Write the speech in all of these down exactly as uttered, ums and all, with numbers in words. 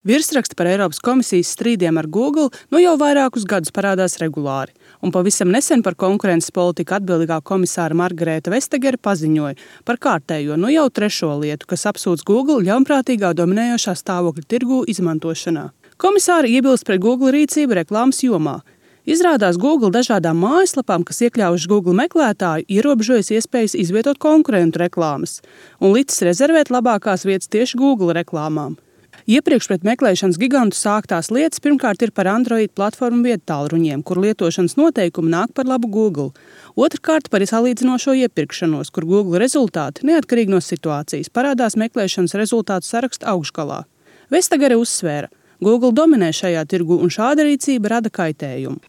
Virsraksti par Eiropas komisijas strīdiem ar Google nu jau vairākus gadus parādās regulāri, un pavisam nesen par konkurences politiku atbildīgā komisāra Margareta Vestagere paziņoja par kārtējo nu jau trešo lietu, kas apsūdz Google ļaunprātīgā dominējošā stāvokļa tirgū izmantošanā. Komisāra iebilst pret Google rīcību reklāmas jomā. Izrādās, Google dažādām mājaslapām, kas iekļaujuši Google meklētāju, ierobežojas iespējas izvietot konkurentu reklāmas un licis rezervēt labākās vietas tieši Google reklāmām. Iepriekš pret meklēšanas gigantu sāktās lietas pirmkārt ir par Android platformu viedtālruņiem, kur lietošanas noteikumi nāk par labu Google. Otrkārt par salīdzinošo iepirkšanos, kur Google rezultāti, neatkarīgi no situācijas, parādās meklēšanas rezultātu saraksta augšgalā. Vestagere uzsvēra, Google dominē šajā tirgu un šāda rīcība rada kaitējumu.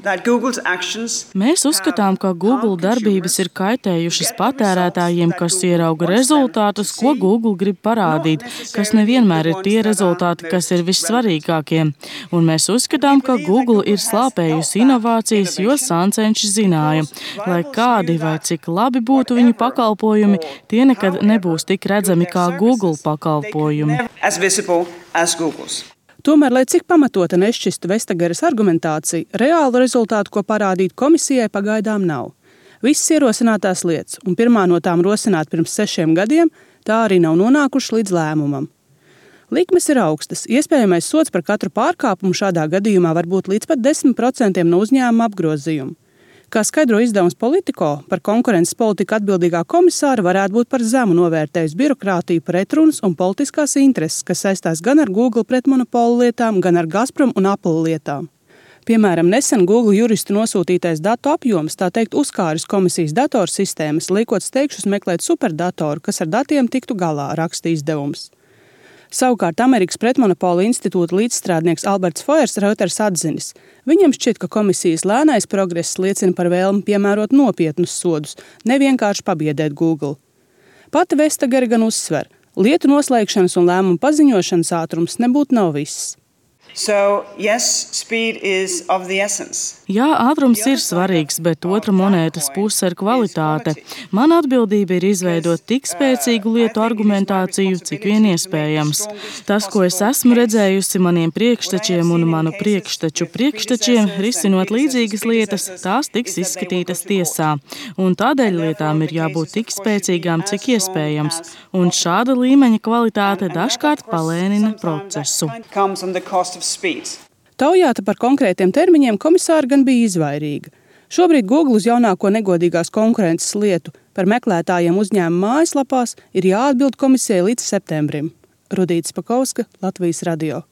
Mēs uzskatām, ka Google darbības ir kaitējušas patērētājiem, kas ierauga rezultātus, ko Google grib parādīt, kas nevienmēr ir tie rezultāti, kas ir vissvarīgākie. Un mēs uzskatām, ka Google ir slāpējusi inovācijas, jo sāncenši zināja, lai kādi vai cik labi būtu viņu pakalpojumi, tie nekad nebūs tik redzami kā Google pakalpojumi. Tomēr, lai cik pamatota nešķistu Vestageres argumentācija, reālu rezultātu, ko parādīt komisijai, pagaidām nav. Visas ierosinātās lietas, un pirmā no tām rosināt pirms sešiem gadiem, tā arī nav nonākuši līdz lēmumam. Likmes ir augstas, iespējamais sods par katru pārkāpumu šādā gadījumā var būt līdz pat desmit procentiem no uzņēmuma apgrozījuma. Kā skaidro izdevums Politico, par konkurences politiku atbildīgā komisāra varētu būt par zemu novērtējusi birokrātiju, pretrunas un politiskās intereses, kas saistās gan ar Google pretmonopolu lietām, gan ar Gazprom un Apple lietām. Piemēram, nesen Google juristu nosūtītais datu apjoms, tā teikt, uzkāris komisijas datorsistēmas, liekot steigšus meklēt superdatoru, kas ar datiem tiktu galā, raksta izdevums. Savukārt Amerikas pretmonopola institūta līdzstrādnieks Alberts Foers Reuters atzinis. Viņam šķiet, ka komisijas lēnais progress liecina par vēlmi piemērot nopietnus sodus, nevienkārši pabiedēt Google. Pati Vestagere gan uzsver, lietu noslēgšanas un lēmumu paziņošanas ātrums nebūtu nav viss. So, yes, speed is of the essence. Jā, ātrums ir svarīgs, bet otra monētas puse ir kvalitāte. Mana atbildība ir izveidot tik spēcīgu lietu argumentāciju, cik vien iespējams. Tas, ko es esmu redzējusi maniem priekštečiem un manu priekšteču priekštečiem, risinot līdzīgas lietas, tās tiks izskatītas tiesā. Un tādēļ lietām ir jābūt tik spēcīgām, cik iespējams. Un šāda līmeņa kvalitāte dažkārt palēnina procesu. Taujāta par konkrētiem termiņiem komisāra gan bija izvairīga. Šobrīd Google uz jaunāko negodīgās konkurences lietu par meklētājiem uzņēmuma mājaslapās ir jāatbild komisijai līdz septembrim. Rudīta Spakauska, Latvijas radio.